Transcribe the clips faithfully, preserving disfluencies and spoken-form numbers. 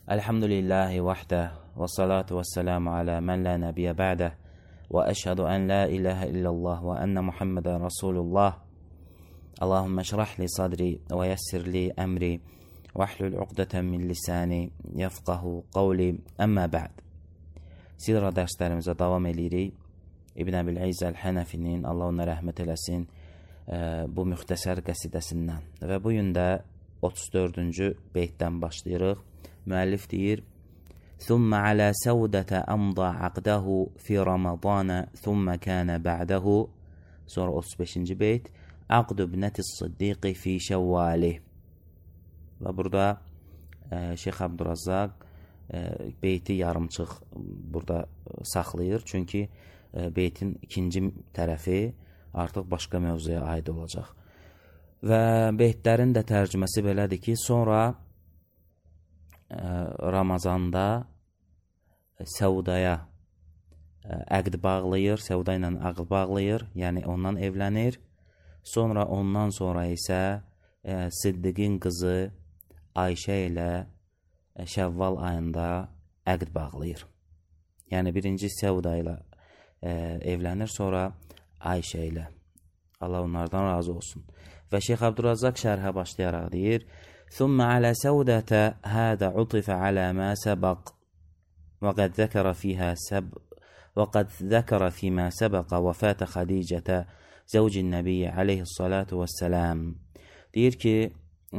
Elhamdülillahi vahdə və salatu və selamu alə mən la nəbiyyə bə'də və əşhədu ən la ilahə illallah və ənə Muhammedən Rasulullah. Allahümmə şrah li sadri və yəssir li əmri və əhlül uqdətən min lisani yəfqahu qavli əmmə bə'd. Sirra dərslərimizə davam edirik. İbn Əbil İzz Əl-Hənəfinin, Allah ona rəhmət eləsin, bu müxtəsər qəsidəsindən. Və bu gün də otuz dördüncü beytdən başlayırıq. Müəllif deyir: "Thumma ala Səudətə amda aqdahu fi Ramazana, thumma kana ba'dahu." Sonra otuz beşinci beyt: "Aqdu ibnətis Siddiqi fi Şəvvali." Və burada e, Şeyx Abdurrazzaq e, beyti yarımçıq burada saxlayır. Çünki e, beytin ikinci tərəfi artıq başqa mövzuya aid olacaq. Və beytlərin də tərcüməsi belədir ki, sonra Ramazanda Səudaya əqd bağlayır, Səuda ilə əqd bağlayır, yəni ondan evlənir. Sonra ondan sonra isə Siddiqin qızı Ayşə ilə Şəvval ayında əqd bağlayır. Yəni birinci Səuda ilə evlənir, sonra Ayşə ilə. Allah onlardan razı olsun. Və Şeyx Abdurrazzaq şərhə başlayaraq deyir: ثم على سودة هذا عطف على ما سبق وقد ذكر فيها سب وقد ذكر فيما سبق وفاة خديجة زوج النبي عليه الصلاة والسلام. Deyir ki,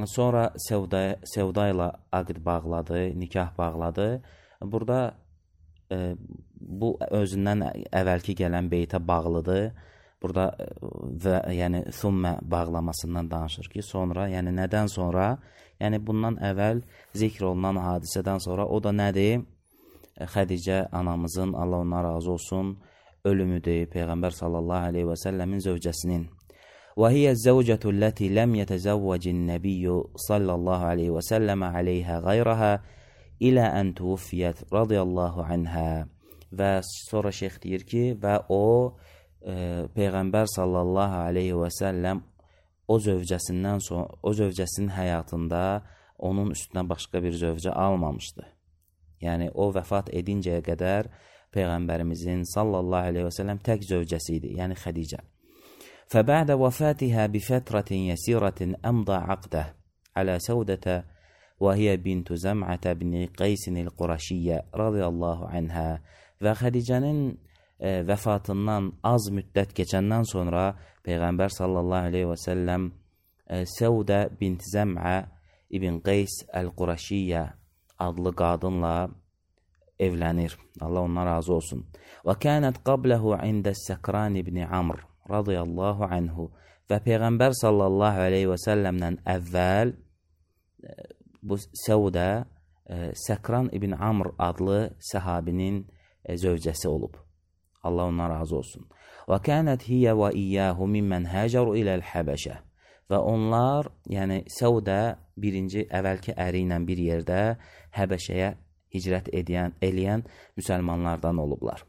sonra Səuda, Səuda ilə aqd bağladı, nikah bağladı. Burada e, bu özündən əvvəlki gələn beytə bağlıdır. Burada və yəni thummə bağlamasından danışır ki, sonra, yəni nədən sonra, yəni bundan əvvəl zikr olunan hadisədən sonra, o da nədir? Xədicə anamızın, Allah ona razı olsun, ölümüdür, Peyğəmbər sallallahu aleyhi və səlləmin zövcəsinin. Və hiyə zəvcətü ləti ləm yətəzəvvəcin nəbiyyü sallallahu aleyhi və səlləmə aleyhə qayrəhə ilə ən tuvufiyyət radiyallahu anhə. Və sonra şeyx deyir ki, və o E, Peyğəmbər sallallahu aleyhi və səlləm o zövcəsindən sonra, o zövcəsinin həyatında onun üstünə başqa bir zövcə almamışdı. Yəni o vəfat edincəyə qədər Peyğəmbərimizin sallallahu aleyhi və səlləm tək zövcəsi idi, yəni Xədicə. فَبَعْدَ وَفَاتِهَا بِفَتْرَةٍ يَسِيرَةٍ أَمْضَى عَقْدَهُ عَلَى سَوْدَةَ وَهِيَ بِنْتُ زَمْعَةَ بْنِ قَيْسٍ الْقُرَشِيَّةِ رَضِيَ اللّٰهُ عَنْهَا. Və Xədicənin E, vəfatından az müddət keçəndən sonra Peyğəmbər sallallahu aleyhi və səlləm e, Səudə bint Zəm'ə ibn Qays Əl-Quraşiyyə adlı qadınla evlənir. Allah ondan razı olsun. Və kənət qabləhu ində Səkran ibn Amr radiyallahu anhu. Və Peyğəmbər sallallahu aleyhi və səlləmdən əvvəl e, bu Səudə e, Səkran ibn Amr adlı səhabinin e, zövcəsi olub. Allah ondan razı olsun. Və kənət hiyə və iyyəhu mimmən həcəru iləl Həbəşə. Və onlar, yəni Səudə birinci əvvəlki əri ilə bir yerdə Həbəşəyə hicrət edən, eləyən müsəlmanlardan olublar.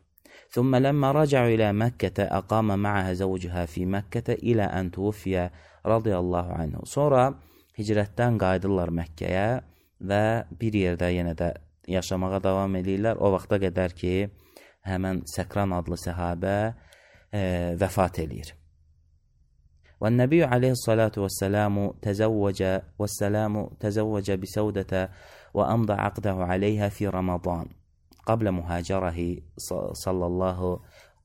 ثُمَّ لَمَّا رَجَعُوا إِلَى مَكَّةَ أَقَامَ مَعَهَا زَوْجُهَا فِي مَكَّةَ إِلَى أَنْ تُوفِيَ رَضِيَ اللّٰهُ عَنْهُ. Sonra hicrətdən qayıdırlar Məkkəyə və bir yerdə yenə də yaşamağa davam edirlər. O vaxta qədər ki, həmən Səkran adlı səhabə e, vəfat edir. Və Nəbiyyü aleyhissalatu vəssəlamu təzəvvəcə vəssəlamu təzəvvəcə bisəudətə və əmdə aqdəhu aleyhə fi Ramazan qablə mühacərəhi sallallahu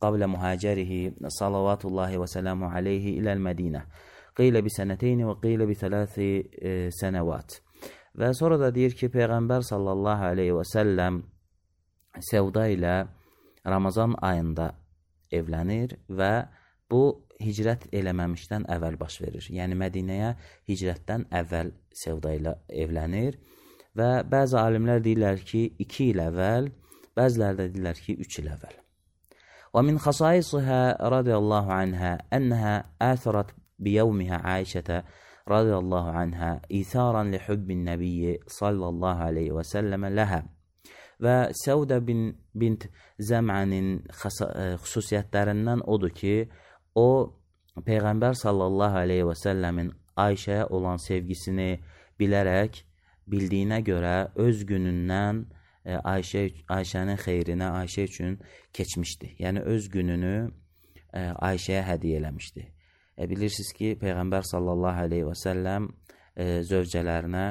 qablə mühacərihi salavatullahi və səlamu aleyhi iləl Mədinə qeylə bi sənəteyni və qeylə bi thələthi e, sənəvat. Və sonra da deyir ki, Peyğəmbər sallallahu aleyhi və səlləm Səuda ilə Ramazan ayında evlənir və bu hicrət eləməmişdən əvvəl baş verir. Yəni Mədinəyə hicrətdən əvvəl Səuda ilə evlənir və bəzi alimlər deyirlər ki, iki il əvvəl, bəzilər də deyirlər ki, üç il əvvəl. Və min xasaisihə radiyallahu anhə ənəhə əthərat biyevmihə Ayşətə radiyallahu anhə itharan li hubbin nəbiyyi sallallahu aleyhi və səlləmə ləhə. Və Səudə bin, bint Zəm'ənin xüsusiyyətlərindən odur ki, o Peyğəmbər sallallahu aleyhi və səlləmin Ayşəyə olan sevgisini bilərək bildiyinə görə öz günündən e, Ayşə Ayşənin xeyrinə Ayşə üçün keçmişdi. Yəni öz gününü e, Ayşəyə hədiyyə eləmişdi. E, bilirsiniz ki, Peyğəmbər sallallahu əleyhi və səlləm e, zövcələrinə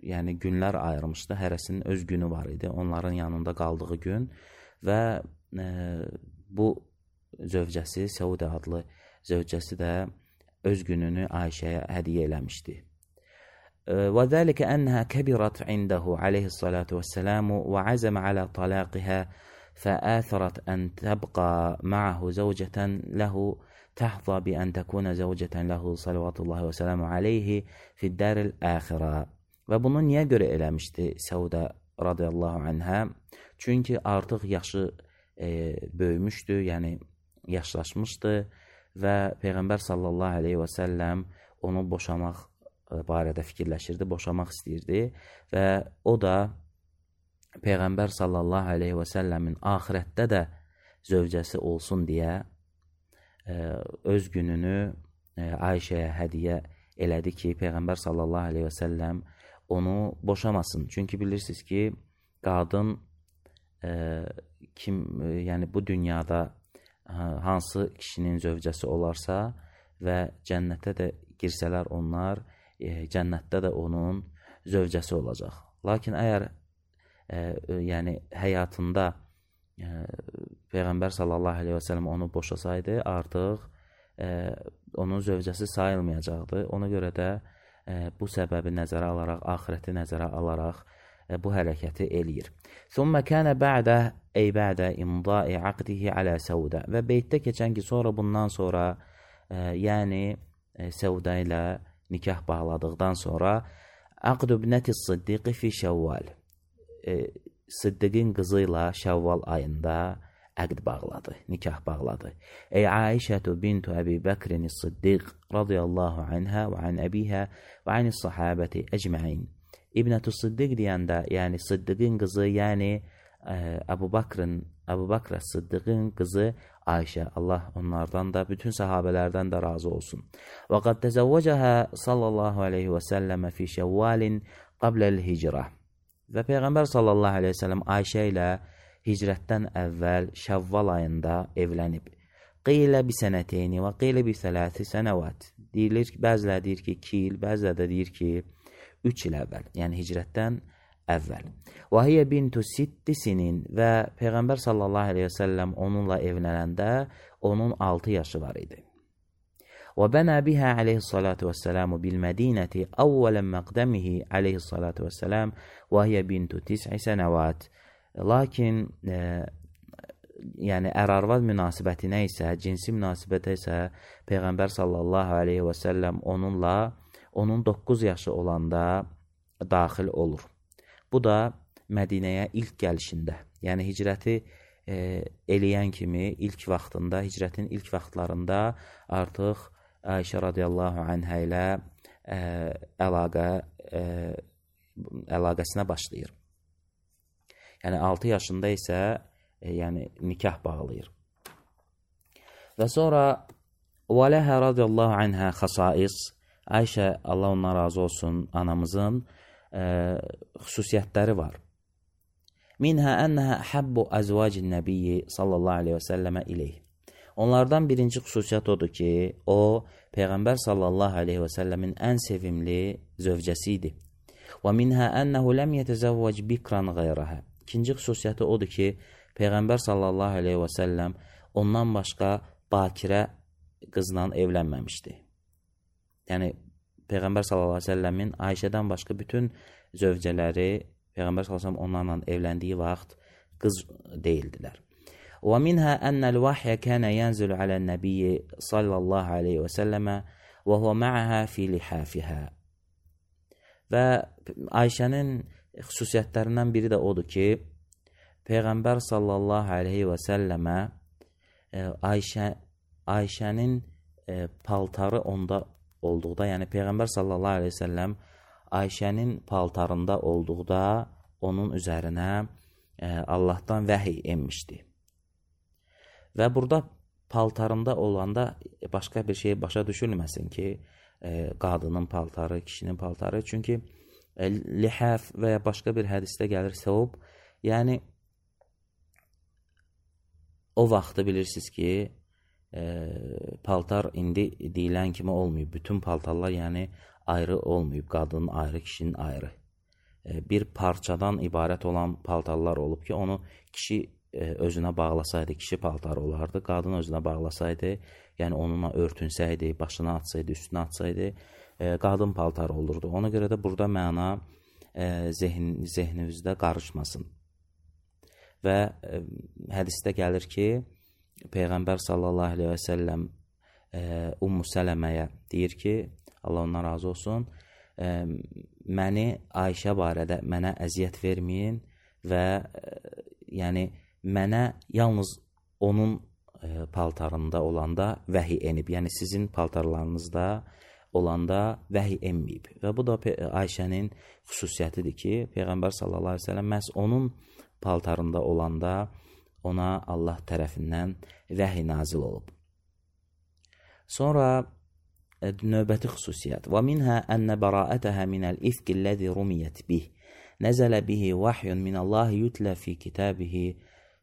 yəni günlər ayırmışdı. Hərəsinin öz günü var idi. Onların yanında qaldığı gün və e, bu zövcəsi, Səudə adlı zövcəsi də öz gününü Ayşəyə hədiyyə eləmişdi. وذلك أنها كبرت عنده عليه الصلاة والسلام وعزم على طلاقها فآثرت أن تبقى معه زوجة له تحظى بأن تكون زوجة له صلوات الله وسلامه عليه في الدار الآخرة. Və bunu niyə görə eləmişdi Səudə radiyallahu anhə? Çünki artıq yaşı e, böyümüşdü, yəni yaşlaşmışdı və Peyğəmbər sallallahu aleyhi və səlləm onu boşamaq barədə fikirləşirdi, boşamaq istəyirdi və o da Peyğəmbər sallallahu aleyhi və səlləmin axirətdə də zövcəsi olsun deyə e, öz gününü e, Ayşəyə hədiyyə elədi ki, Peyğəmbər sallallahu aleyhi və səlləm onu boşamasın. Çünki bilirsiniz ki, qadın e, kim, e, yəni bu dünyada hansı kişinin zövcəsi olarsa və cənnətə də girsələr onlar, E, cənnətdə də onun zövcəsi olacaq. Lakin əgər e, yəni həyatında e, Peyğəmbər sallallahu aleyhi və səlləm onu boşasaydı, artıq e, onun zövcəsi sayılmayacaqdı. Ona görə də e, bu səbəbi nəzərə alaraq, axirəti nəzərə alaraq e, bu hərəkəti eləyir. ثُمَّ كَانَ بَعْدَ أي بعد إمضاء عقده على سودة. Və beytdə keçən ki, sonra bundan sonra e, yəni e, Səudə ilə nikah bağladıqdan sonra Aqdu ibnəti Siddiqi fi Şəvval, e, Siddiqin qızı ilə Şəvval ayında əqd bağladı, nikah bağladı. Ey Aişətu bintu Əbi Bəkrin Siddiq radiyallahu anhə və an əbihə və anis sahabəti əcməin. İbnətü Siddiq deyəndə, yəni Siddiqin qızı, yəni e, Əbu Bakrin, Əbu Bakr Siddiqin qızı Ayşə, Allah onlardan da, bütün sahabələrdən də razı olsun. Və qad təzəvvəcəhə sallallahu aleyhi və səlləmə fi şəvvalin qabləl hicrə. Və Peyğəmbər sallallahu aleyhi və səlləm Ayşə ilə hicrətdən əvvəl Şəvval ayında evlənib. Qilə bi sənəteyni və qilə bi sələsi sənəvat. Deyilir ki, bəzilə deyir ki, iki il, bəzilə də deyir ki, üç il əvvəl, yəni hicrətdən əvvəl. Və hiyə bintu sitti sinin və Peyğəmbər sallallahu aleyhi və səlləm onunla evlənəndə onun altı yaşı var idi. Və bənə bihə aleyhissalatu vəssəlamu bil-Mədinəti əvvələn məqdəmihi aleyhissalatu vəssəlam və hiyə bintu tis'i sənəvat. Lakin e, yəni ər-arvad münasibətinə isə, cinsi münasibətə isə Peyğəmbər sallallahu aleyhi və səlləm onunla onun doqquz yaşı olanda daxil olur. Bu da Mədinəyə ilk gəlişində, yəni hicrəti e, eləyən kimi ilk vaxtında, hicrətin ilk vaxtlarında artıq Ayşə radiyallahu anhə ilə e, əlaqə, e, əlaqəsinə başlayır. Yəni altı yaşında isə e, yəni nikah bağlayır. Və sonra وَلَهَا رَضِيَ اللّٰهُ عَنْهَا خَصَائِص. Ayşə, Allah ondan razı olsun, anamızın e, xüsusiyyətləri var. Minhə ənəhə həbbu əzvacin nəbiyyi sallallahu aleyhi və səlləmə ileyh. Onlardan birinci xüsusiyyət odur ki, o, Peyğəmbər sallallahu aleyhi və səlləmin ən sevimli zövcəsi idi. Və minhə ənəhu ləm yətəzəvvəc bikran qayrəhə. İkinci xüsusiyyəti odur ki, Peyğəmbər sallallahu aleyhi və səlləm ondan başqa bakirə qızla evlənməmişdi. Yəni, Peyğəmbər sallallahu aleyhi və səlləmin Ayşədən başqa bütün zövcələri Peyğəmbər sallallahu aleyhi və səlləm onlarla evləndiyi vaxt qız deyildilər. Və minhə ənəl vahyə kənə yənzülü aləl nəbiyyi sallallahu aleyhi və səlləmə və huvə mə'əhə fi lihafihə. Və Ayşənin xüsusiyyətlərindən biri də odur ki, Peyğəmbər sallallahu aleyhi və səlləmə Ayşə, Ayşənin paltarı onda olduqda, yəni Peyğəmbər sallallahu aleyhi və səlləm Ayşənin paltarında olduqda onun üzərinə e, Allahdan vəhiy enmişdi. Və burada paltarında olanda başqa bir şey başa düşülməsin ki, e, qadının paltarı, kişinin paltarı. Çünki lihəf və ya başqa bir hədisdə gəlir səvb, yəni o vaxtı bilirsiniz ki, e, paltar indi deyilən kimi olmayıb. Bütün paltarlar yəni ayrı olmayıb, qadının ayrı, kişinin ayrı. E, bir parçadan ibarət olan paltarlar olub ki, onu kişi e, özünə bağlasaydı, kişi paltarı olardı, qadın özünə bağlasaydı, yəni onunla örtünsəydi, başına atsaydı, üstünə atsaydı, e, qadın paltarı olurdu. Ona görə də burada məna e, zehn, zehninizdə qarışmasın. Və e, hədisdə gəlir ki, Peyğəmbər sallallahu aleyhi və səlləm e, Ummu Sələməyə deyir ki, Allah ondan razı olsun, e, məni Ayşə barədə mənə əziyyət verməyin və e, yəni mənə yalnız onun e, paltarında olanda vəhi enib. Yəni sizin paltarlarınızda olanda vəhi enməyib. Və bu da Ayşənin xüsusiyyətidir ki, Peyğəmbər sallallahu aleyhi və səlləm məhz onun paltarında olanda ona Allah tərəfindən vəhi nazil olub. Sonra e, növbəti xüsusiyyət. Və minhə ənə bəraətəhə minəl ifqilləzi rumiyət bih. Nəzələ bihi vahyun minallahi yutlə fi kitabihi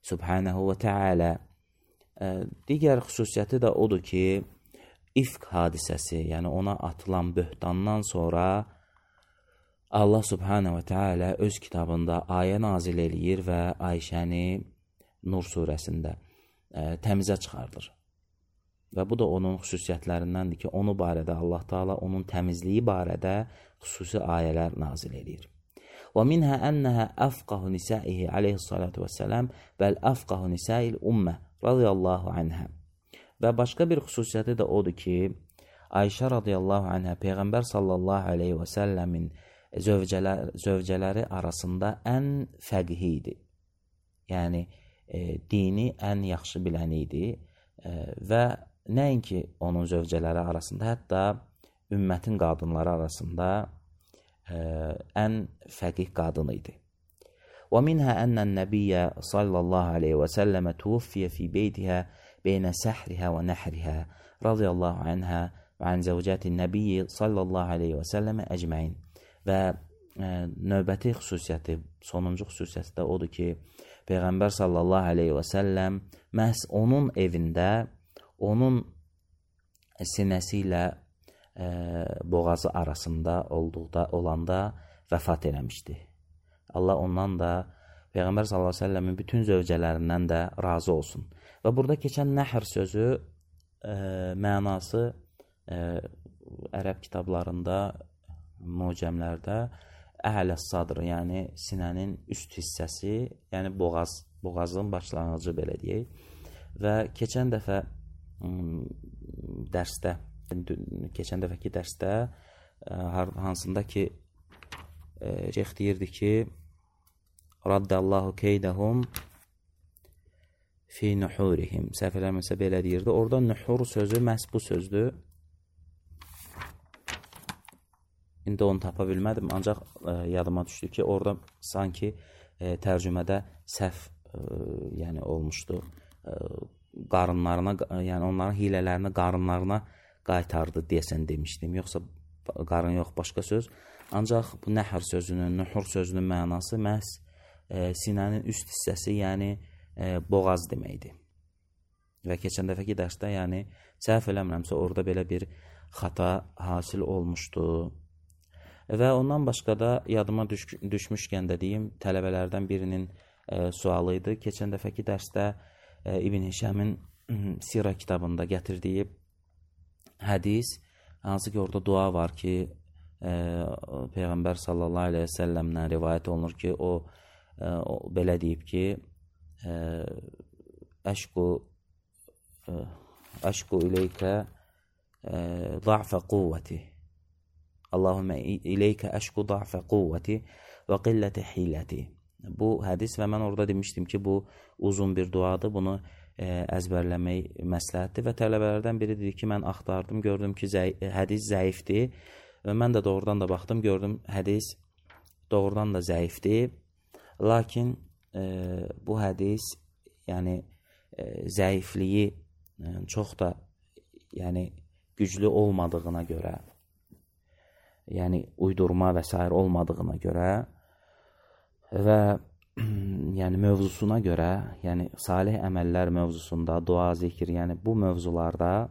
subhanahu və teala. E, digər xüsusiyyəti də odur ki, ifq hadisəsi, yəni ona atılan böhtandan sonra Allah subhanahu və teala öz kitabında ayə nazil eləyir və Ayşəni Nur surəsində e, təmizə çıxardır. Və bu da onun xüsusiyyətlərindəndir ki, onu barədə Allah Taala onun təmizliyi barədə xüsusi ayələr nazil eləyir. Və minhə ənəhə əfqahu nisaihi aleyhissalatu vesselam bəl əfqahu nisail ümmə radiyallahu anhə. Və başqa bir xüsusiyyəti də odur ki, Ayşə radiyallahu anhə Peyğəmbər sallallahu aleyhi və səlləmin zövcələr, zövcələri arasında ən fəqih idi. Yəni, e, dini ən yaxşı bilən idi e, və nəinki onun zövcələri arasında, hətta ümmətin qadınları arasında e, ən fəqih qadın idi. Və minhə ənən nəbiyyə sallallahu aleyhi və səlləmə tuvfiyə fi beytihə beynə səhrihə və nəhrihə radiyallahu anhə və ən zəvcətin nəbiyyə sallallahu aleyhi və səlləmə əcməin. Və e, növbəti xüsusiyyəti, sonuncu xüsusiyyəti də odur ki, Peyğəmbər sallallahu aleyhi və səlləm məhz onun evində, onun sinəsi ilə e, boğazı arasında olduqda, olanda vəfat eləmişdi. Allah ondan da, Peyğəmbər sallallahu aleyhi və səlləmin bütün zövcələrindən də razı olsun. Və burada keçən nəhr sözü e, mənası e, ərəb kitablarında, mucəmlərdə əhlə sadr, yəni sinənin üst hissəsi, yəni boğaz, boğazın başlanğıcı belə deyək. Və keçən dəfə dərsdə, keçən dəfəki dərsdə hansında ki şeyx deyirdi ki, raddallahu keydəhum fi nuhurihim. Səhv eləmirəmsə belə deyirdi. Orada nuhur sözü məhz bu sözdür. İndi onu tapa bilmədim, ancaq e, yadıma düşdü ki, orada sanki e, tərcümədə səhv e, yəni olmuşdu. E, qarınlarına, yəni onların hilələrini qarınlarına qaytardı deyəsən demişdim. Yoxsa qarın yox, başqa söz. Ancaq bu nəhr sözünün, nuhur sözünün mənası məhz e, sinənin üst hissəsi, yəni e, boğaz deməkdir. Və keçən dəfəki dərsdə, yəni səhv eləmirəmsə, orada belə bir xata hasil olmuşdu. Və ondan başqa da yadıma düş düşmüşkən də deyim, tələbələrdən birinin e, sualı idi. Keçən dəfəki dərsdə e, İbn Hişəmin Sirə kitabında gətirdiyi hədis, hansı ki orada dua var ki, e, Peyğəmbər sallallahu aleyhi və səlləmdən rivayət olunur ki, o, e, o belə deyib ki, e, əşqu e, əşqu ileykə e, za'fə quvvəti. Allahümmə ileykə əşqu da'fə quvvəti və qilləti hiləti. Bu hədis və mən orada demişdim ki, bu uzun bir duadır, bunu e, əzbərləmək məsləhətdir və tələbələrdən biri dedi ki, mən axtardım, gördüm ki, zəy hədis zəifdir və mən də doğrudan da baxdım, gördüm hədis doğrudan da zəifdir, lakin e, bu hədis yəni e, zəifliyi e, çox da yəni güclü olmadığına görə, yəni uydurma və s. olmadığına görə və yəni mövzusuna görə, yəni salih əməllər mövzusunda, dua, zikir, yəni bu mövzularda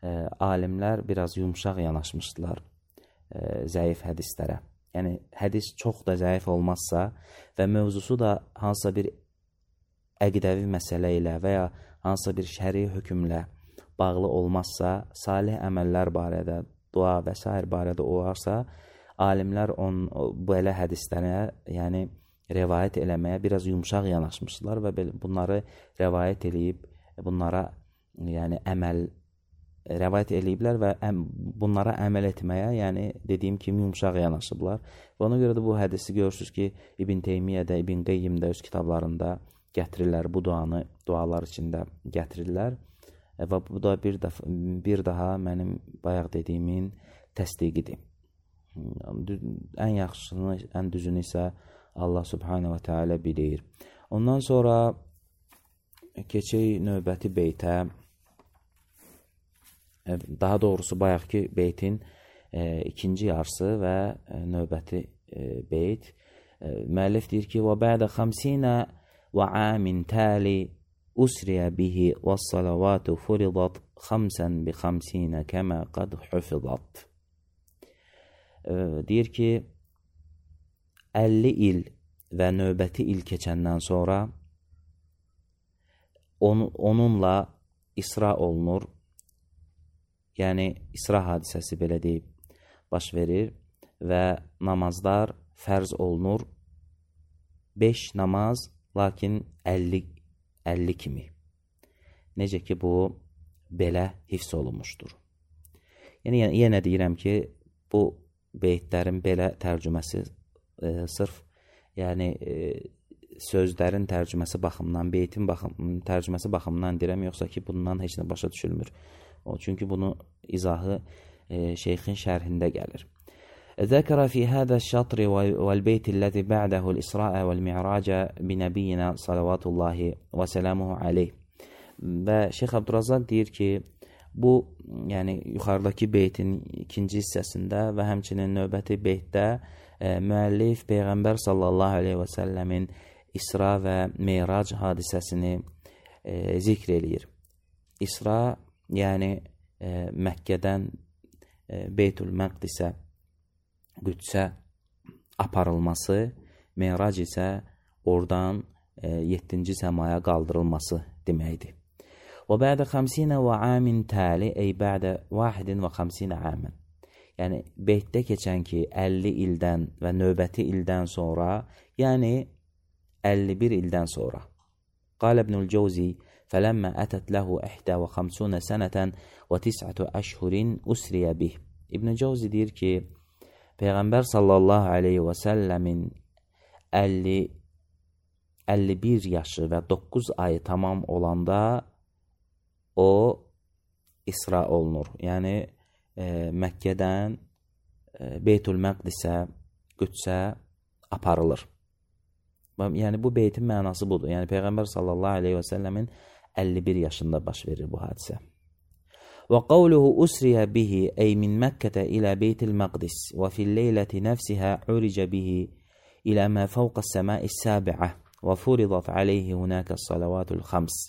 e, alimlər biraz yumşaq yanaşmışdılar e, zəif hədislərə. Yəni hədis çox da zəif olmazsa və mövzusu da hansısa bir əqidəvi məsələ ilə və ya hansısa bir şəri hökmlə bağlı olmazsa, salih əməllər barədə, dua və s. barədə olarsa, alimlər on, belə hədislərə, yəni rəvayət eləməyə biraz yumşaq yanaşmışlar və bunları rəvayət eləyib, bunlara yəni əməl rəvayət eləyiblər və əm, bunlara əməl etməyə, yəni dediyim kimi yumşaq yanaşıblar. Və ona görə də bu hədisi görürsünüz ki, İbn Teymiyyə də, İbn Qeyyim də öz kitablarında gətirirlər, bu duanı dualar içində gətirirlər. Və bu da bir, dəf bir daha mənim bayaq dediyimin təsdiqidir. Ən yaxşısını, ən düzünü isə Allah Subhanahu wa Ta'ala bilir. Ondan sonra keçək növbəti beytə. Daha doğrusu bayaqki beytin e, ikinci yarısı və e, növbəti e, beyt. E, müəllif deyir ki: "Və bə'də xamsinə və amin tali usriyə bihi və salavatu furidat xamsən bi xamsinə kəmə qad hufidat." E, deyir ki, əlli il və növbəti il keçəndən sonra on, onunla isra olunur. Yəni, isra hadisəsi belə deyib baş verir və namazlar fərz olunur. beş namaz, lakin əlli, əlli kimi. Necə ki, bu belə hifz olunmuşdur. Yəni, yenə deyirəm ki, bu beytlərin belə tərcüməsi e, sırf yəni e, sözlərin tərcüməsi baxımından, beytin baxım, tərcüməsi baxımından deyirəm, yoxsa ki, bundan heç nə başa düşülmür. O, çünki bunu izahı e, şeyxin şərhində gəlir. ذكر في هذا الشطر والبيت الذي بعده الإسراء والمعراج بنبينا صلوات الله وسلامه عليه. Və Şeyx Abdurrazaq deyir ki, bu, yəni yuxarıdakı beytin ikinci hissəsində və həmçinin növbəti beytdə e, müəllif Peyğəmbər sallallahu aleyhi və səlləmin İsra və Meyrac hadisəsini e, zikr eləyir. İsra, yəni e, Məkkədən e, Beytül Məqdisə, Qüdsə aparılması, Meyrac isə oradan e, yeddinci səmaya qaldırılması deməkdir. Və bə'də xamsinə və amin təli, ey bə'də vahidin və xamsinə amən. Yəni, beytdə keçən ki, əlli ildən və növbəti ildən sonra, yəni əlli bir ildən sonra. Qal İbnül Cəvzi, fələmmə ətət ləhu əhdə və xamsunə sənətən və tis'ətü əşhurin usriyə bih. İbnül Cəvzi deyir ki, Peyğəmbər sallallahu aleyhi və səlləmin əlli bir yaşı və doqquz ayı tamam olanda o isra olunur. Yəni, e, Məkkədən e, Beytül Məqdisə, Qüdsə aparılır. Yəni, bu beytin mənası budur. Yəni, Peyğəmbər sallallahu aleyhi və səlləmin əlli bir yaşında baş verir bu hadisə. Və qavluhu usriyə bihi, ey min Məkkətə ilə Beytil Məqdis və fil leyləti nəfsihə uricə bihi ilə mə fəvqə səmai səbi'ə və furidat aleyhi hunəkə salavatul xams.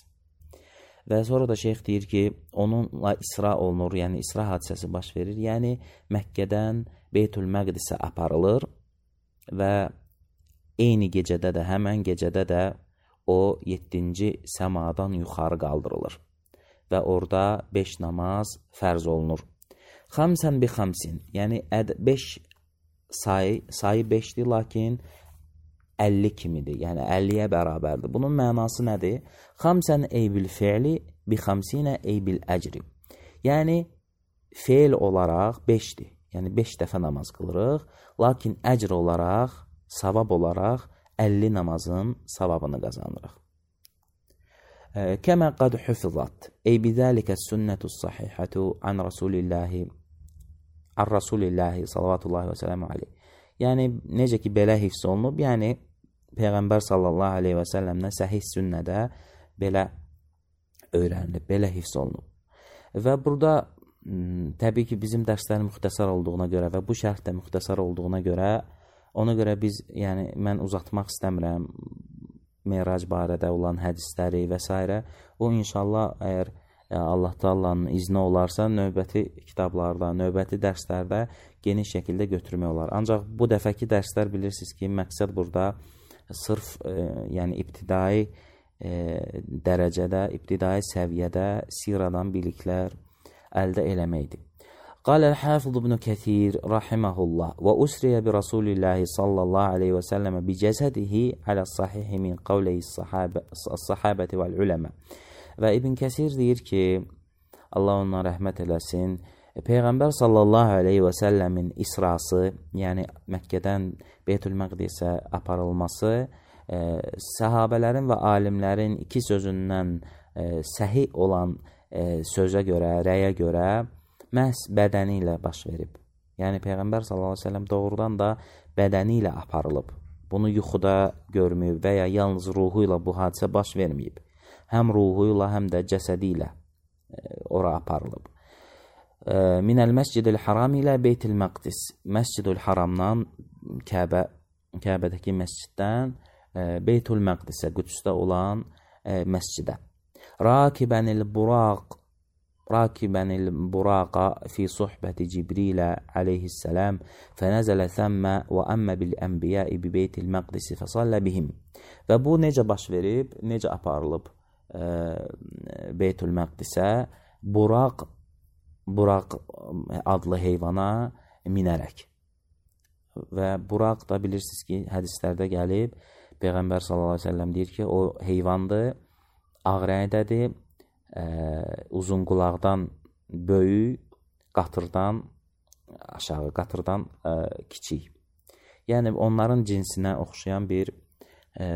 Və sonra da şeyx deyir ki, onunla isra olunur, yəni isra hadisəsi baş verir. Yəni, Məkkədən Beytül Məqdisə aparılır və eyni gecədə də, həmən gecədə də o yeddinci səmadan yuxarı qaldırılır. Və orada beş namaz fərz olunur. Xamsən bi xamsin, yəni beş sayı, sayı beşdir, lakin əlli kimidir, yəni əlliyə bərabərdir. Bunun mənası nədir? Xamsən ey bil fi'li, bi xamsinə ey bil əcri. Yəni, feil olaraq beşdir, yəni beş dəfə namaz qılırıq, lakin əcr olaraq, savab olaraq əlli namazın savabını qazanırıq. Kəmə qad hufizat, ey bidəlikə sünnətus sahihətu an Rasulillahi, an Rasulillahi sallallahu və sələmu aleyh. Yəni, necə ki, belə hifz olunub, yəni Peyğəmbər sallallahu aleyhi və səlləmdən səhih sünnədə belə öyrənilib, belə hifz olunub. Və burada təbii ki, bizim dərslərin müxtəsar olduğuna görə və bu şərh də müxtəsar olduğuna görə, ona görə biz, yəni mən uzatmaq istəmirəm Merac barədə olan hədisləri və s. O, inşallah, əgər Allah Taala'nın izni olarsa, növbəti kitablarda, növbəti dərslərdə geniş şəkildə götürmək olar. Ancaq bu dəfəki dərslər bilirsiniz ki, məqsəd burada sırf, e, yəni ibtidai e, dərəcədə, ibtidai səviyyədə siradan biliklər əldə eləməkdir. قال الحافظ ابن كثير رحمه الله وأسري برسول الله صلى الله عليه وسلم بجسده على الصحيح من قوله الصحابة, الصحابة والعلماء. Və İbn Kəsir deyir ki, Allah ona rəhmət eləsin, Peyğəmbər sallallahu aleyhi və səlləmin isrası, yəni Məkkədən Beytül Məqdisə aparılması, e, səhabələrin və alimlərin iki sözündən e, səhi olan e, sözə görə, rəyə görə məhz bədəni ilə baş verib. Yəni Peyğəmbər sallallahu aleyhi və səlləm doğrudan da bədəni ilə aparılıb. Bunu yuxuda görməyib və ya yalnız ruhu ilə bu hadisə baş verməyib. Həm ruhu ilə, həm də cəsədi ilə e, ora aparılıb. E, Minəl məscidil haram ilə Beytil Məqdis. Məscidül haramdan, Kəbə, Kəbədəki məsciddən e, Beytul Məqdisə, Qüdsdə olan e, məscidə. Rakibənil buraq راكبا البراق في صحبة جبريل عليه السلام فنزل ثم وأما بالأنبياء ببيت المقدس فصلى بهم. Və bu necə baş verib, necə aparılıb e, Beytül Məqdisə? Buraq, Buraq adlı heyvana minərək. Və Buraq da bilirsiniz ki, hədislərdə gəlib, Peyğəmbər sallallahu əleyhi və səlləm deyir ki, o heyvandır, ağ rəngdədir, Ə, uzun qulaqdan böyük, qatırdan aşağı, qatırdan ə, kiçik. Yəni onların cinsinə oxşayan bir ə,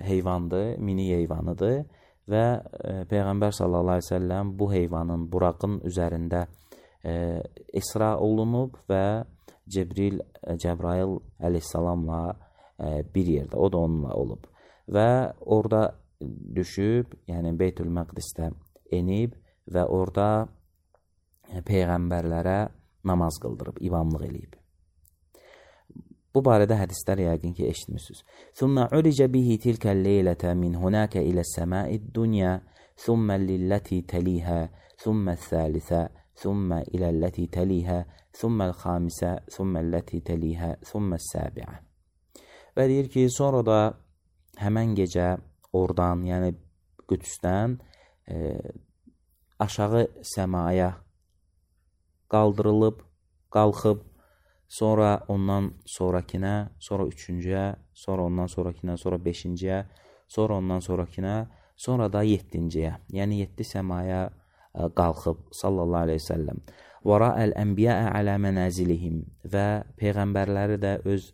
heyvandır, mini heyvanıdır və ə, Peyğəmbər sallallahu əleyhi və səlləm bu heyvanın, buraqın üzərində ə, isra olunub və Cibril, Cəbrail əleyhissalamla ə, bir yerdə, o da onunla olub və orada düşüb, yəni Beytül Məqdisdə enib və orada peyğəmbərlərə namaz qıldırıb, imamlıq eləyib. Bu barədə hədislər yəqin ki, eşitmişsiniz. ثُمَّ عُرِجَ بِهِ تِلْكَ اللَّيْلَةَ مِنْ هُنَاكَ إِلَى السَّمَاءِ الدُّنْيَا ثُمَّ لِلَّتِي تَلِيهَا ثُمَّ الثَّالِثَةَ ثُمَّ إِلَى الَّتِي تَلِيهَا ثُمَّ الْخَامِسَةَ ثُمَّ الَّتِي تَلِيهَا ثُمَّ السَّابِعَةَ. Və deyir ki, sonra da həmən gecə oradan, yəni Qüdsdən E, aşağı səmaya qaldırılıb, qalxıb, sonra ondan sonrakinə, sonra üçüncüyə, sonra ondan sonrakinə, sonra beşinciyə, sonra ondan sonrakinə, sonra da yettinciyə, yəni yeddi səmaya e, qalxıb, sallallahu aleyhi ve səlləm. وَرَأَ الْأَنْبِيَاءَ عَلَى مَنَازِلِهِمْ və Peyğəmbərləri də öz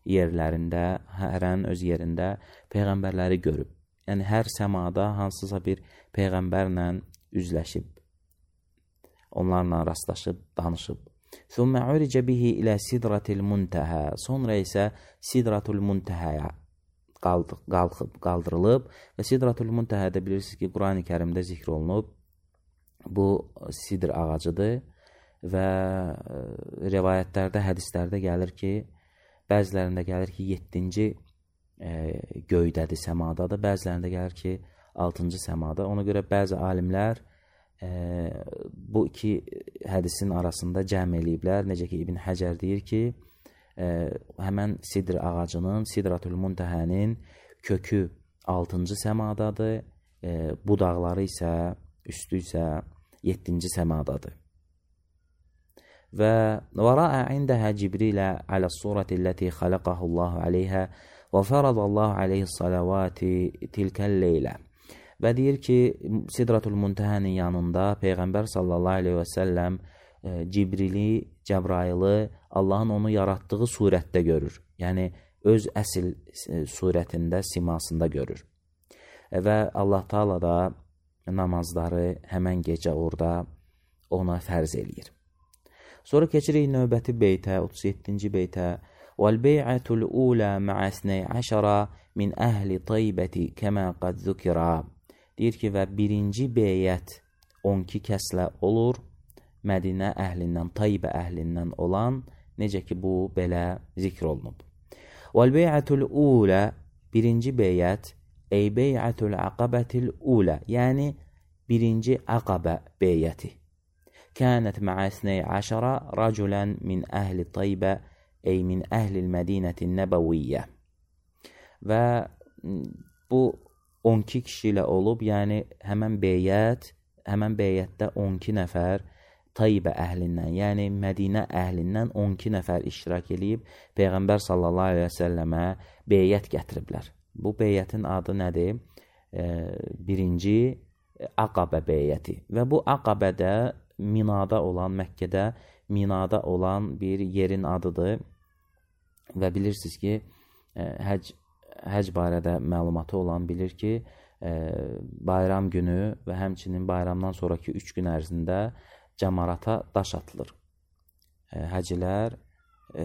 yerlərində, hərən öz yerində Peyğəmbərləri görüb. Yəni, hər səmada hansısa bir Peyğəmbərlə üzləşib, onlarla rastlaşıb, danışıb. ثُمَّ عُرِجَ بِهِ إِلَى سِدْرَةِ الْمُنْتَهَى. Sonra isə Sidratul Muntəhəyə qalxıb, qaldırılıb və Sidratul Muntəhədə bilirsiniz ki, Qurani Kərimdə zikr olunub. Bu sidr ağacıdır və rivayətlərdə, hədislərdə gəlir ki, bəzilərində gəlir ki, yeddinci E, göydədir, səmadadır. Bəzilərində gəlir ki, altıncı səmada. Ona görə bəzi alimlər e, bu iki hədisin arasında cəm eləyiblər. Necə ki, İbn Həcər deyir ki, e, həmən sidr ağacının, Sidratul Muntəhənin kökü altıncı səmadadır, e, budaqları isə, üstü isə yeddinci səmadadır. Və وَرَأَ عِنْدَهَا جِبْرِيلَ عَلَى الصُّورَةِ الَّتِي خَلَقَهُ اللَّهُ عَلَيْهَا وَفَرَضَ اللَّهُ عَلَيْهِ الصَّلَوَاتِ تِلْكَ اللَّيْلَ. Və deyir ki, Sidratul Muntəhənin yanında Peyğəmbər sallallahu aleyhi və səlləm e, Cibrili, Cəbrailı Allahın onu yaratdığı surətdə görür. Yəni, öz əsil e, surətində, simasında görür. E, və Allah Taala da namazları həmən gecə orada ona fərz eləyir. Sonra keçirik növbəti beytə, otuz yeddinci beytə. وَالْبَيْعَةُ الْأُولَى مَعَ اثْنَيْ عَشَرَ مِنْ أَهْلِ طَيْبَةِ كَمَا قَدْ ذُكِرَ. Deyir ki, və birinci beyət on iki kəslə olur Mədinə əhlindən, Taybə əhlindən olan, necə ki, bu belə zikr olunub. Vəl-bey'atul ulə, birinci beyət, ey bey'atul aqabətil ulə, yəni birinci aqabə beyəti. Kənət mə'ə isney əşərə rəculən min əhli Taybə, ey min əhlil mədinətin nəbəviyyə. Və bu on iki kişi ilə olub, yəni həmən beyət, həmən beyətdə on iki nəfər Taybə əhlindən, yəni Mədinə əhlindən on iki nəfər iştirak edib Peyğəmbər sallallahu aleyhi və səlləmə beyət gətiriblər. Bu beyətin adı nədir? E, birinci Aqabə beyəti. Və bu Aqabədə Minada olan, Məkkədə Minada olan bir yerin adıdır. Və bilirsiniz ki, e, həc, həc barədə məlumatı olan bilir ki, e, bayram günü və həmçinin bayramdan sonraki üç gün ərzində cəmarata daş atılır. E, həcilər e,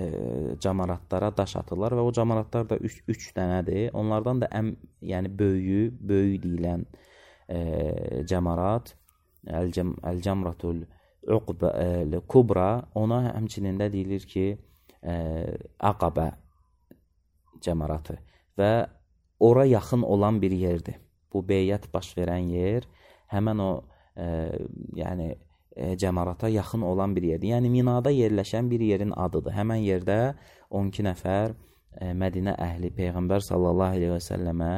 cəmaratlara daş atırlar və o cəmaratlar da üç, üç dənədir. Onlardan da ən, yəni böyüyü, böyük deyilən e, cəmarat, Əl-Cəmratul Kubra, ona həmçinin də deyilir ki, e, Aqabə cəmaratı və ora yaxın olan bir yerdir. Bu beyət baş verən yer həmən o e, yəni e, cəmarata yaxın olan bir yerdir. Yəni Minada yerləşən bir yerin adıdır. Həmən yerdə on iki nəfər e, Mədinə əhli Peyğəmbər sallallahu aleyhi və səlləmə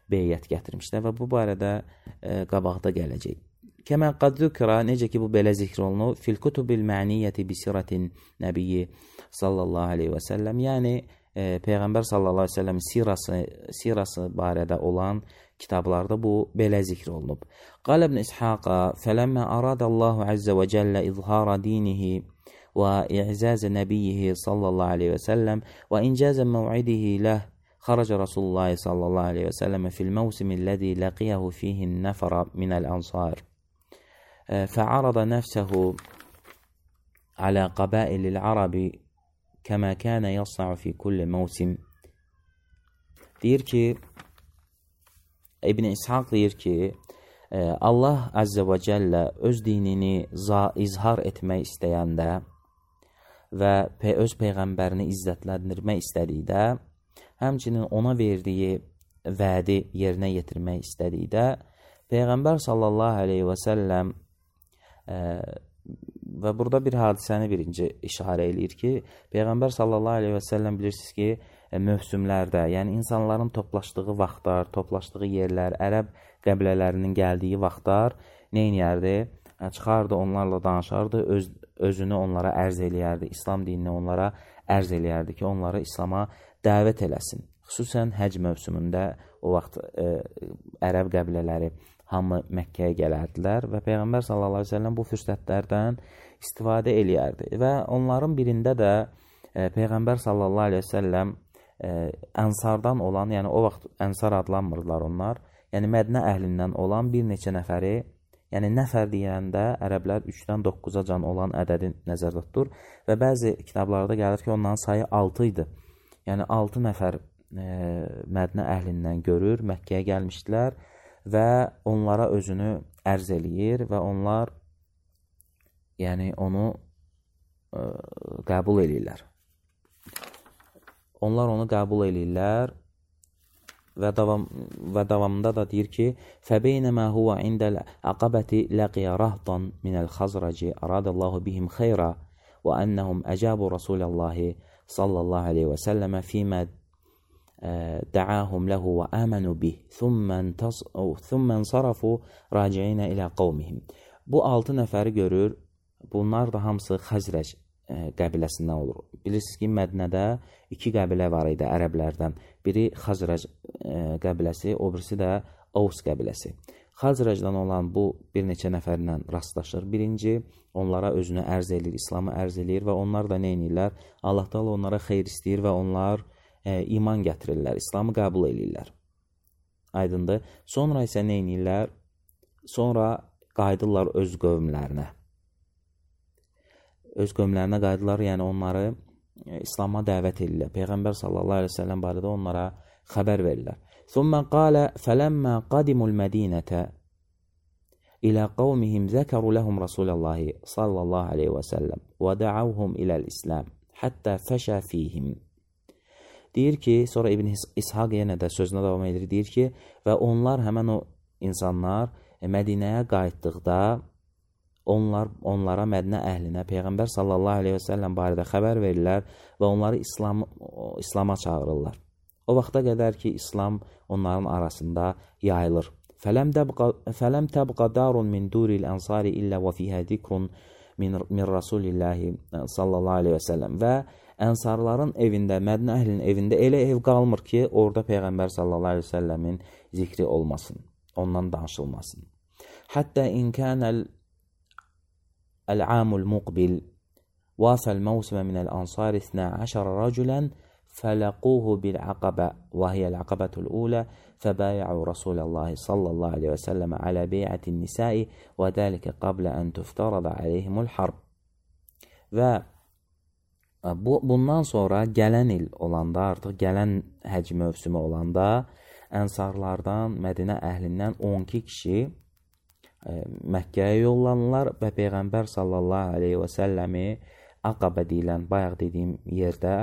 beyət gətirmişlər və bu barədə e, qabaqda gələcək. Kəmə qad zükra, necə ki bu belə zikr olunur, fil kutubil məniyyəti bisiratin nəbiyyi sallallahu aleyhi və səlləm, yəni e, Peyğəmbər sallallahu aleyhi və səlləm sirası, sirası barədə olan kitablarda bu belə zikr olunub. Qal ibn İshaqa, fələmmə aradallahu əzzə və cəllə izhara dinihi və i'zazə nəbiyyihi sallallahu aleyhi və səlləm və incazə məv'idihi ləh, xaraca Rasulullah sallallahu aleyhi və səlləmə fil məvsimi ləzi ləqiyahu fihin nəfərə minəl ansar. فعرض نفسه على قبائل العرب كما كان يصنع في كل موسم. Deyir ki, İbn İshaq deyir ki, Allah Azze və Cəllə öz dinini izhar etmək istəyəndə və öz Peyğəmbərini izzətləndirmək istədikdə, həmçinin ona verdiyi vədi yerinə yetirmək istədikdə, Peyğəmbər sallallahu aleyhi və səlləm Ə, və burada bir hadisəni birinci işarə eləyir ki, Peyğəmbər sallallahu aleyhi və səlləm bilirsiniz ki, ə, mövsümlərdə, yəni insanların toplaşdığı vaxtlar, toplaşdığı yerlər, ərəb qəbilələrinin gəldiyi vaxtlar nə edərdi? Çıxardı, onlarla danışardı, öz, özünü onlara ərz eləyərdi, İslam dinini onlara ərz eləyərdi ki, onları İslama dəvət eləsin. Xüsusən həc mövsümündə o vaxt ə, ərəb qəbilələri hamı Məkkəyə gələrdilər və Peyğəmbər sallallahu aleyhi və səlləm bu fürsətlərdən istifadə eləyərdi. Və onların birində də e, Peyğəmbər sallallahu aleyhi və səlləm e, ənsardan olan, yəni o vaxt ənsar adlanmırlar onlar, yəni Mədinə əhlindən olan bir neçə nəfəri, yəni nəfər deyəndə ərəblər üçdən doqquza can olan ədədi nəzərdə tutur və bəzi kitablarda gəlir ki, onların sayı altı idi. Yəni altı nəfər e, Mədinə əhlindən görür, Məkkəyə gəlmişdilər və onlara özünü ərz eləyir və onlar yəni onu ə, qəbul eləyirlər. Onlar onu qəbul eləyirlər və, davam, və davamında da deyir ki, فَبَيْنَمَا هُوَ عِنْدَ الْعَقَبَةِ لَقِيَ رَهْضًا مِنَ الْخَزْرَجِ أَرَادَ اللَّهُ بِهِمْ خَيْرًا وَأَنَّهُمْ أَجَابُوا رَسُولَ اللَّهِ صَلَّى اللَّهُ عَلَيْهِ وَسَلَّمَ فِيمَا دعاهم له وآمنوا به ثم انصرفوا راجعين إلى قومهم. Bu altı nəfəri görür. Bunlar da hamısı Xəzrəc qəbiləsindən olur. Bilirsiniz ki, Mədinədə iki qəbilə var idi ərəblərdən. Biri Xəzrəc qəbiləsi, o birisi də Avs qəbiləsi. Xəzrəcdən olan bu bir neçə nəfərlə rastlaşır. Birinci, onlara özünü ərz edir, İslamı ərz edir və onlar da nə edirlər? Allah Teala onlara xeyir istəyir və onlar e, iman gətirirlər, İslamı qəbul edirlər. Aydındır. Sonra isə nə edirlər? Sonra qayıdırlar öz qövmlərinə. Öz qövmlərinə qayıdırlar, yəni onları e, İslama dəvət edirlər. Peyğəmbər sallallahu aleyhi ve sellem barədə onlara xəbər verirlər. ثم قال فلما قدموا المدينة ilə qavmihim zəkəru ləhum Rasulallahi sallallahu aleyhi və səlləm və dəavhum iləl-İslam həttə fəşə fihim. Deyir ki, sonra İbn İshaq yenə də sözünə davam edir, deyir ki, və onlar, həmən o insanlar Mədinəyə qayıtdıqda onlar onlara, Mədinə əhlinə Peyğəmbər sallallahu aleyhi və səlləm barədə xəbər verirlər və onları İslam, İslama çağırırlar. O vaxta qədər ki, İslam onların arasında yayılır. Fələm təbqa darun min duril ənsari illə və fihə zikrun min, min Rasulillahi sallallahu aleyhi və səlləm. Və ənsarların evində, Mədinə əhlinin evində elə ev qalmır ki, orada Peyğəmbər sallallahu aleyhi və səlləmin zikri olmasın, ondan danışılmasın. Həttə inkənəl əl-amul muqbil vafəl məvsimə minəl ansar isna əşərə rəculən fələquhu bil-əqabə və hiyəl-əqabətul ulə fəbəyəu Rasulallahi sallallahu aleyhi və səlləmə alə beyətin nisai və dəlikə qablə ən tüftərədə aleyhimul harb. Və bu, bundan sonra gələn il olanda, artıq gələn həc mövsümü olanda ənsarlardan, Mədinə əhlindən on iki kişi e, Məkkəyə yollanırlar və Peyğəmbər sallallahu aleyhi və səlləmi Aqabə deyilən, bayaq dediyim yerdə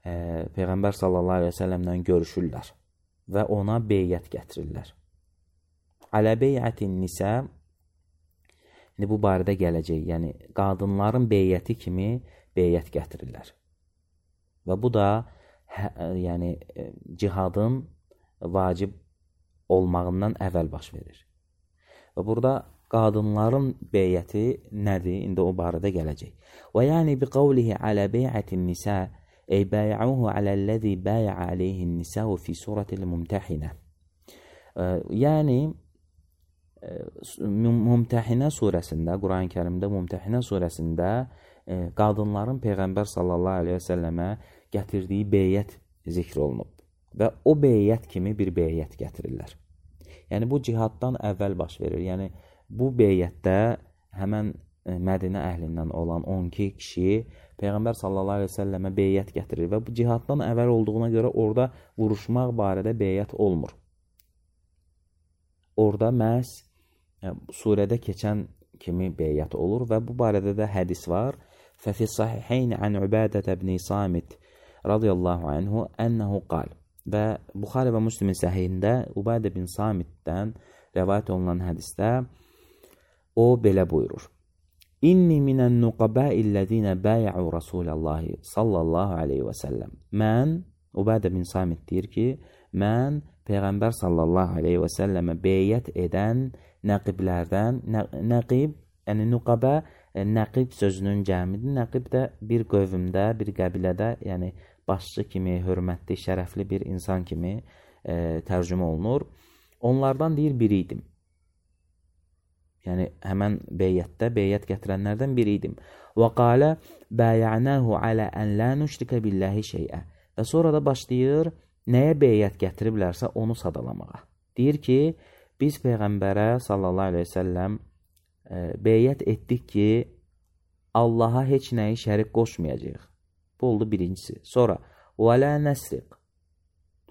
e, Peyğəmbər sallallahu aleyhi və səlləmlə görüşürlər və ona beyyət gətirirlər. Alə beyyətin nisə, indi bu barədə gələcək, yəni qadınların beyyəti kimi beyyət gətirirlər. Və bu da hə, yəni cihadın vacib olmağından əvvəl baş verir. Və burada qadınların beyyəti nədir? İndi o barədə gələcək. Və yəni bi qavlihi alə beyyətin nisə ey bəyəuhu aləl-ləzi bəyə aleyhin nisəu fi surətil mümtəhinə. Yəni Mümtəhinə surəsində, Quran-ı Kərimdə Mümtəhinə surəsində e, qadınların Peyğəmbər sallallahu aleyhi və səlləmə gətirdiyi beyyət zikr olunub. Və o beyyət kimi bir beyyət gətirirlər. Yəni bu cihaddan əvvəl baş verir. Yəni bu beyyətdə həmən e, Mədinə əhlindən olan on iki kişi Peyğəmbər sallallahu aleyhi və səlləmə beyyət gətirir. Və bu cihaddan əvvəl olduğuna görə orada vuruşmaq barədə beyyət olmur. Orada məhz surədə keçən kimi beyyət olur və bu barədə də hədis var. Fəfi sahiheyn ən Ubadət ibn Samit radiyallahu anhu ənəhu qal. Və Buxari və Müslimin səhihində Ubadə bin Samitdən rəvayət olunan hədisdə o belə buyurur. İnni minən nuqabəillədinə bəyəu Rasulallahi sallallahu aleyhi və səlləm. Mən, Ubadə bin Samit deyir ki, mən Peyğəmbər sallallahu aleyhi və səlləmə beyyət edən nəqiblərdən, nə, nəqib, yəni nuqabə, nəqib sözünün cəmidir. Nəqib də bir qövmdə, bir qəbilədə, yəni başçı kimi, hörmətli, şərəfli bir insan kimi e, tərcümə olunur. Onlardan deyir, biri idim. Yəni, həmən beyyətdə, beyyət gətirənlərdən biri idim. Və qalə, bəyənəhu alə ən lə nüşrikə billəhi şeyə. Və sonra da başlayır, nəyə beyyət gətiriblərsə onu sadalamağa. Deyir ki, biz Peyğəmbərə sallallahu aleyhi ve səlləm e, beyyət etdik ki, Allaha heç nəyi şərik qoşmayacaq. Bu oldu birincisi. Sonra, və lə nəsriq,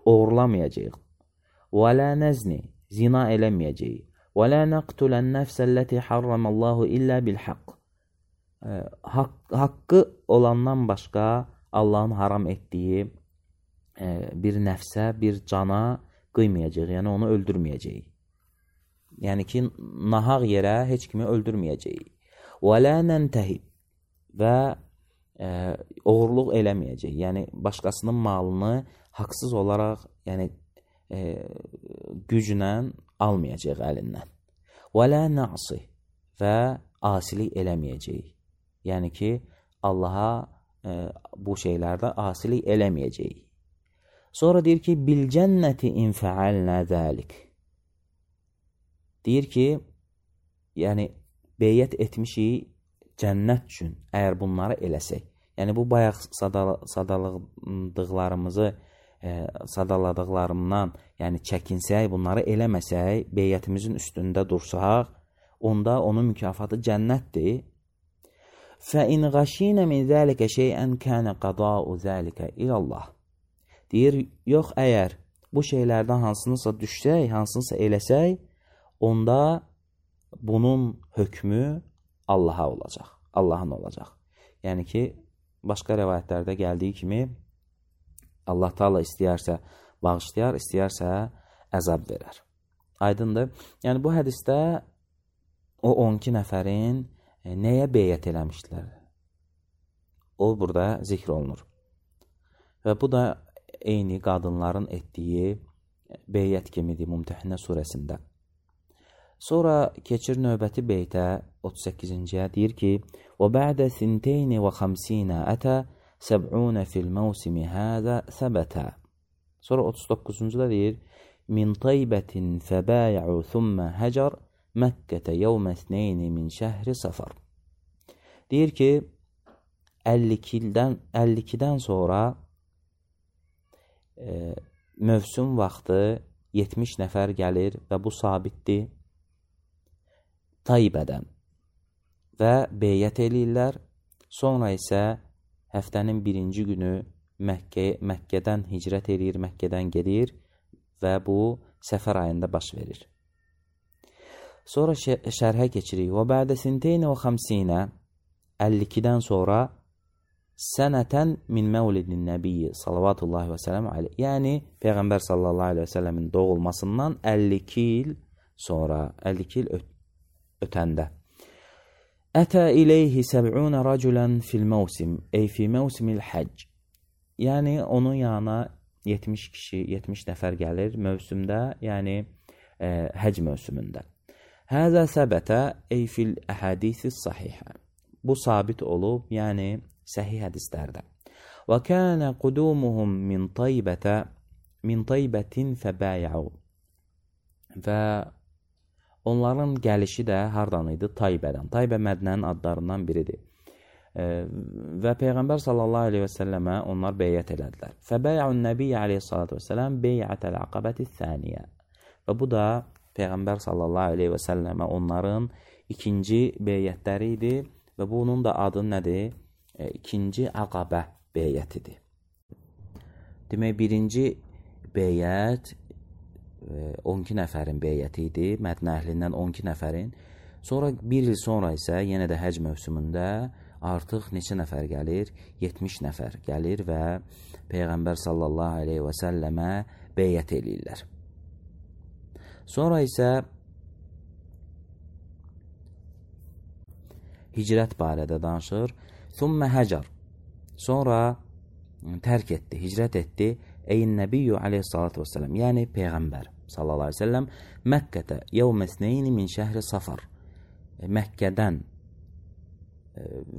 oğurlamayacaq. Və lə nəzni, zina eləməyəcək. Və lə nəqtulən nəfsəlləti harramallahu illə bilhaq. E, haqq, haqqı olandan başqa Allahın haram etdiyi bir nəfsə, bir cana qıymayacaq, yəni onu öldürməyəcək. Yəni ki, nahaq yerə heç kimi öldürməyəcək. Və lə nəntəhib və e, oğurluq eləməyəcək. Yəni, başqasının malını haqsız olaraq, yəni e, güclə almayacaq əlindən. Və lə nəqsi və asilik eləməyəcək. Yəni ki, Allaha e, bu şeylərdə asilik eləməyəcək. Sonra deyir ki, bil cənnəti infəalnə zəlik. Deyir ki, yəni beyyət etmişik cənnət üçün, əgər bunları eləsək. Yəni bu bayaq sadal sadaladıqlarımızı, e, sadaladıqlarımdan, yəni çəkinsək, bunları eləməsək, beyyətimizin üstündə dursaq, onda onun mükafatı cənnətdir. Fə in ғəşinə min zəlikə şeyən kənə qadau zəlikə ilallah. Deyir, yox, əgər bu şeylərdən hansınısa düşsək, hansınısa eləsək, onda bunun hökmü Allaha olacaq. Allahın olacaq. Yəni ki, başqa rəvayətlərdə gəldiyi kimi Allah Taala istəyərsə bağışlayar, istəyərsə əzab verər. Aydındır? Yəni bu hədisdə o on iki nəfərin nəyə beyət eləmişdilər? O burada zikr olunur. Və bu da eyni qadınların etdiyi beyət kimidir Mümtəhinə surəsində. Sonra keçir növbəti beytə otuz səkkizinciyə deyir ki: "Və ba'də sinteyn və xamsinə ətə səb'unə fil mevsimi hâzə səbətə." Sonra otuz doqquzuncuda deyir: "Min taybətin fəbəy'u thumma hacar Məkkətə yevmə isneyni min şəhri safar." Deyir ki, əlli ikidən əlli ikidən sonra e, mövsüm vaxtı yetmiş nəfər gəlir və bu sabitdir. Taybədən və beyət eləyirlər. Sonra isə həftənin birinci günü Məkkə, Məkkədən hicrət eləyir, Məkkədən gedir və bu səfər ayında baş verir. Sonra şərhə keçirik. Və bə'də sinteyn və xamsinə əlli ikidən sonra sənətən min məvlidin nəbiyyi salavatullahi və sələm aleyh. Yəni Peyğəmbər sallallahu aleyhi və səlləmin doğulmasından əlli iki il sonra, əlli iki il öt ötəndə. Ətə ileyhi səb'unə rəculən fil mevsim, ey fi mevsimil həcc. Yəni onun yanına yetmiş kişi, yetmiş nəfər gəlir mövsümdə, yəni e, həcc mövsümündə. Həzə səbətə ey fil əhədisis sahihə. Bu sabit olub, yəni səhih hədislərdə. Və kənə qudumuhum min taybətə min taybətin fəbəyəu. Və onların gəlişi də hardan idi? Taybədən. Taybə Mədnənin adlarından biridir. E, və Peyğəmbər sallallahu aleyhi və səlləmə onlar beyət elədilər. Fəbəyəun nəbiyyə aleyhissalatu və səlləm beyətəl əqabəti thəniyə. Və bu da Peyğəmbər sallallahu aleyhi və səlləmə onların ikinci beyətləri idi və bunun da adı nədir? E, ikinci əqabə beyətidir. Demək, birinci beyət on iki nəfərin beyəti idi, Mədinə əhlindən on iki nəfərin. Sonra bir il sonra isə yenə də həcc mövsümündə artıq neçə nəfər gəlir? yetmiş nəfər gəlir və Peyğəmbər sallallahu aleyhi və səlləmə beyət eləyirlər. Sonra isə hicrət barədə danışır. Thumma hacar. Sonra tərk etdi, hicrət etdi. Eyn nəbiyyü aleyhissalatu vesselam, yəni Peyğəmbər sallallahu aleyhi ve sellem Məkkətə yevmə isneyni min şəhri safar. Məkkədən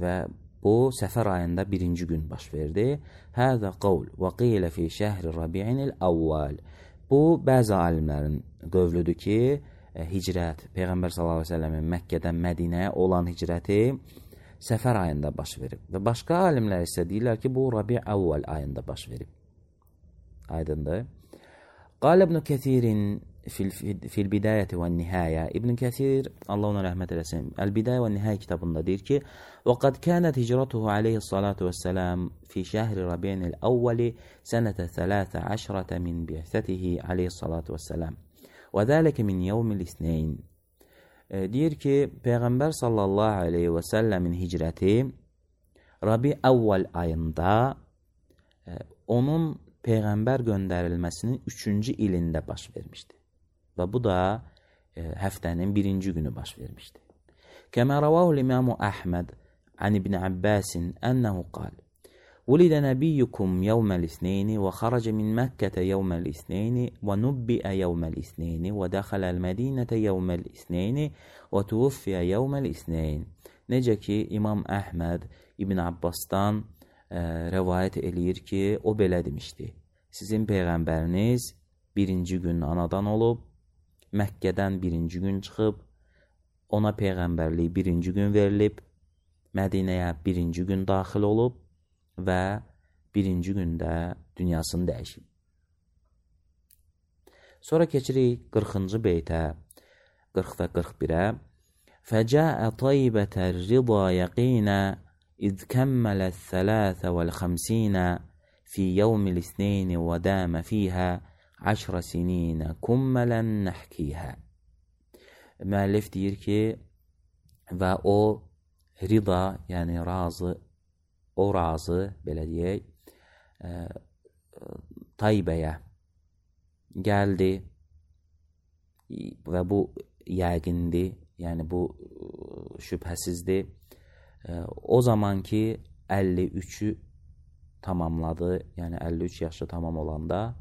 və bu səfər ayında birinci gün baş verdi. Həzə qavl və qilə fi şəhri rabi'inil əvvəl. Bu, bəzi alimlərin qövlüdür ki, hicrət, Peyğəmbər sallallahu aleyhi ve sellemin Məkkədən Mədinəyə olan hicrəti səfər ayında baş verib. Və başqa alimlər isə deyirlər ki, bu Rabi' əvvəl ayında baş verib. Aydındır. Qal İbn Kəsirin fil bidayəti və nihəyə. İbn Kəsir, Allah ona rəhmət eləsin, Əl-Bidayə və Nihəyə kitabında deyir ki, وَقَدْ كَانَتْ هِجْرَتُهُ عَلَيْهِ الصَّلَاةُ وَالسَّلَامُ فِي شَهْرِ رَبِيعِ الْأَوَّلِ سَنَةَ ثَلَاثَ عَشْرَةَ مِنْ بِعْثَتِهِ عَلَيْهِ الصَّلَاةُ وَالسَّلَامُ وَذَلِكَ مِنْ يَوْمِ الْإِثْنَيْنِ. Deyir ki, Peyğəmbər sallallahu aleyhi və səlləmin hicrəti Rabi əvvəl ayında onun Peyğəmbər göndərilməsinin üçüncü ilində baş vermişdi. Və bu da e, həftənin birinci günü baş vermişdi. Kəmə rəvahu l-İmamu Əhməd an İbn Abbasin ənəhu qal Vulidə nəbiyyukum yevməl-isneyni və xaracə min Məkkətə yevməl-isneyni və nubbiə yevməl-isneyni və dəxələl Mədinətə yevməl-isneyni və tuvuffiyə yevməl-isneyn. Necə ki, İmam Əhməd İbn Abbasdan Ə, rəvayət eləyir ki, o belə demişdi. Sizin Peyğəmbəriniz birinci gün anadan olub, Məkkədən birinci gün çıxıb, ona Peyğəmbərlik birinci gün verilib, Mədinəyə birinci gün daxil olub və birinci gündə dünyasını dəyişib. Sonra keçirik qırxıncı beytə, qırx və qırx birə. Fəcəə taybətər rida yəqinə إذ كمل الثلاث والخمسين في يوم الاثنين ودام فيها عشر سنين كملا نحكيها. müəllif deyir ki, və o rida, yəni razı, o razı, belə deyək, e, Taybəyə gəldi və bu yəqindir, yəni bu şübhəsizdir. E, o zaman ki, əlli üçü tamamladı, yəni əlli üç yaşı tamam olanda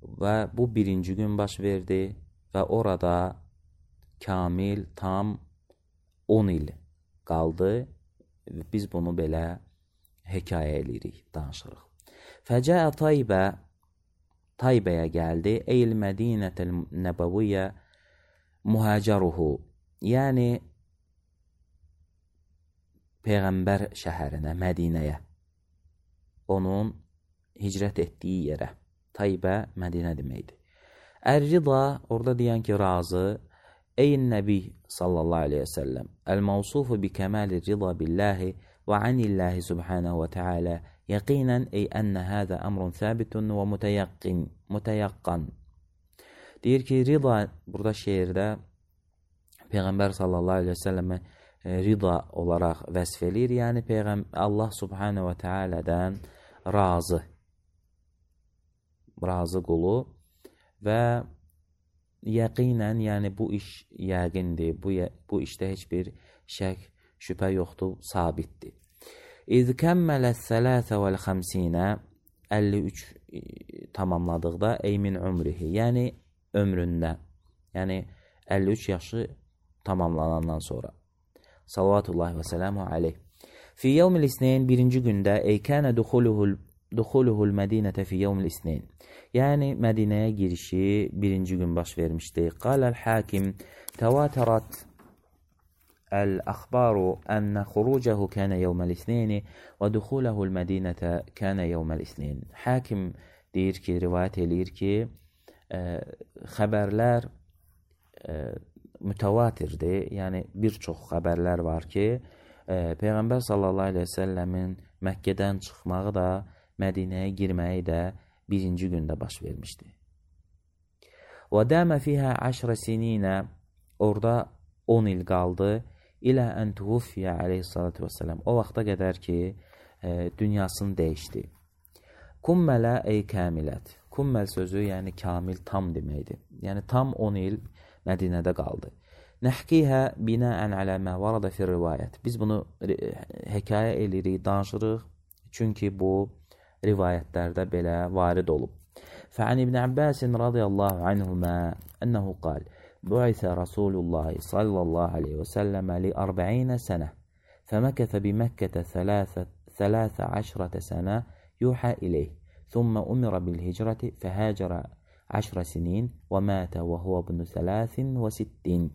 və bu birinci gün baş verdi və orada kamil, tam on il qaldı. Biz bunu belə hekayə edirik, danışırıq. Fəcəə Taybə, Taybəyə gəldi. Eyl Mədinətəl Nəbəviyyə muhacəruhu, yəni Peyğəmbər şəhərinə, Mədinəyə, onun hicrət etdiyi yerə. Taybə Mədinə deməkdir. Ər-rida, orada deyən ki, razı. Ey Nəbi sallallahu aleyhi və səlləm, əl-mavsufu bi kəməli rida billahi və anillahi subhanahu və teala yəqinən ey ənə hədə əmrun səbitun və mütəyəqqin, mütəyəqqan. Deyir ki, rida, burada şeirdə Peyğəmbər sallallahu aleyhi və səlləmə rida olaraq vəsf edir, yəni Peyğəmbər Allah subhanahu və tealədən razı, razı qulu və yəqinən, yəni bu iş yəqindir, bu, bu işdə heç bir şək, şübhə yoxdur, sabitdir. İz kəmmələ sələsə vəl xəmsinə, əlli üç tamamladıqda, ey min ömrihi, yəni ömründə, yəni əlli üç yaşı tamamlanandan sonra. Salavatullahi və sələmu aleyh. Fi yevmil isneyn, birinci gündə, ey kənə duxuluhul Duxuluhul Mədinətə fi yevmil isneyn. Yəni Mədinəyə girişi birinci gün baş vermişdi. Qaləl hakim təvatərat əl-əxbaru ənə xurucəhu kənə yevməl isneyni və duxuləhul Mədinətə kənə yevməl isneyn. Hakim deyir ki, rivayət eləyir ki, ə, xəbərlər ə, mütəvatirdir. Yəni bir çox xəbərlər var ki, ə, Peyğəmbər sallallahu aleyhi və səlləmin Məkkədən çıxmağı da, Mədinəyə girməyi də birinci gündə baş vermişdi. Və dəmə fihə əşrə sininə, orada on il qaldı, ilə ən tuvuffiyə aleyhissalatu vesselam, o vaxta qədər ki, e, dünyasını dəyişdi. Kummələ ey kəmilət, kummel sözü yəni kamil, tam deməkdir. Yəni tam on il Mədinədə qaldı. Nəhkihə binəən alə mə varada fi rivayət. Biz bunu hekayə edirik, danışırıq, çünki bu rivayətlərdə belə varid olub. Fə'an İbn Abbasin radiyallahu anhumə ənəhu qal, bu'itə Rasulullah sallallahu aleyhi və səlləmə li ərbə'inə sənə, fəməkəthə biməkkətə thələthə əşrətə sənə yuhə ileyh, thumma umira bil hicrəti fəhəcərə əşrə sinin və mətə və huvə bunu thələthin və sittin.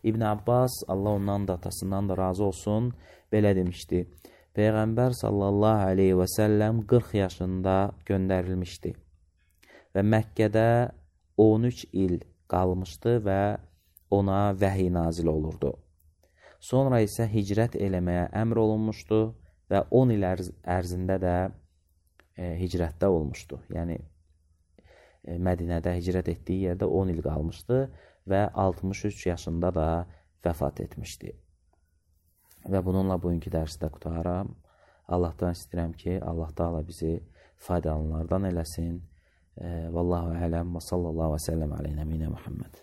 İbn Abbas, Allah ondan da atasından da razı olsun, belə demişdi. Peyğəmbər sallallahu aleyhi və səlləm qırx yaşında göndərilmişdi və Məkkədə on üç il qalmışdı və ona vəhiy nazil olurdu. Sonra isə hicrət eləməyə əmr olunmuşdu və on il ərz ərzində də e, hicrətdə olmuşdu. Yəni e, Mədinədə hicrət etdiyi yerdə on il qalmışdı və altmış üç yaşında da vəfat etmişdi. Və bununla bugünkü dərsi də qutaram. Allahdan istəyirəm ki, Allah Taala bizi faydalananlardan eləsin. Vallahu ələm və sallallahu və səlləm alə nəbiyinə Muhammed.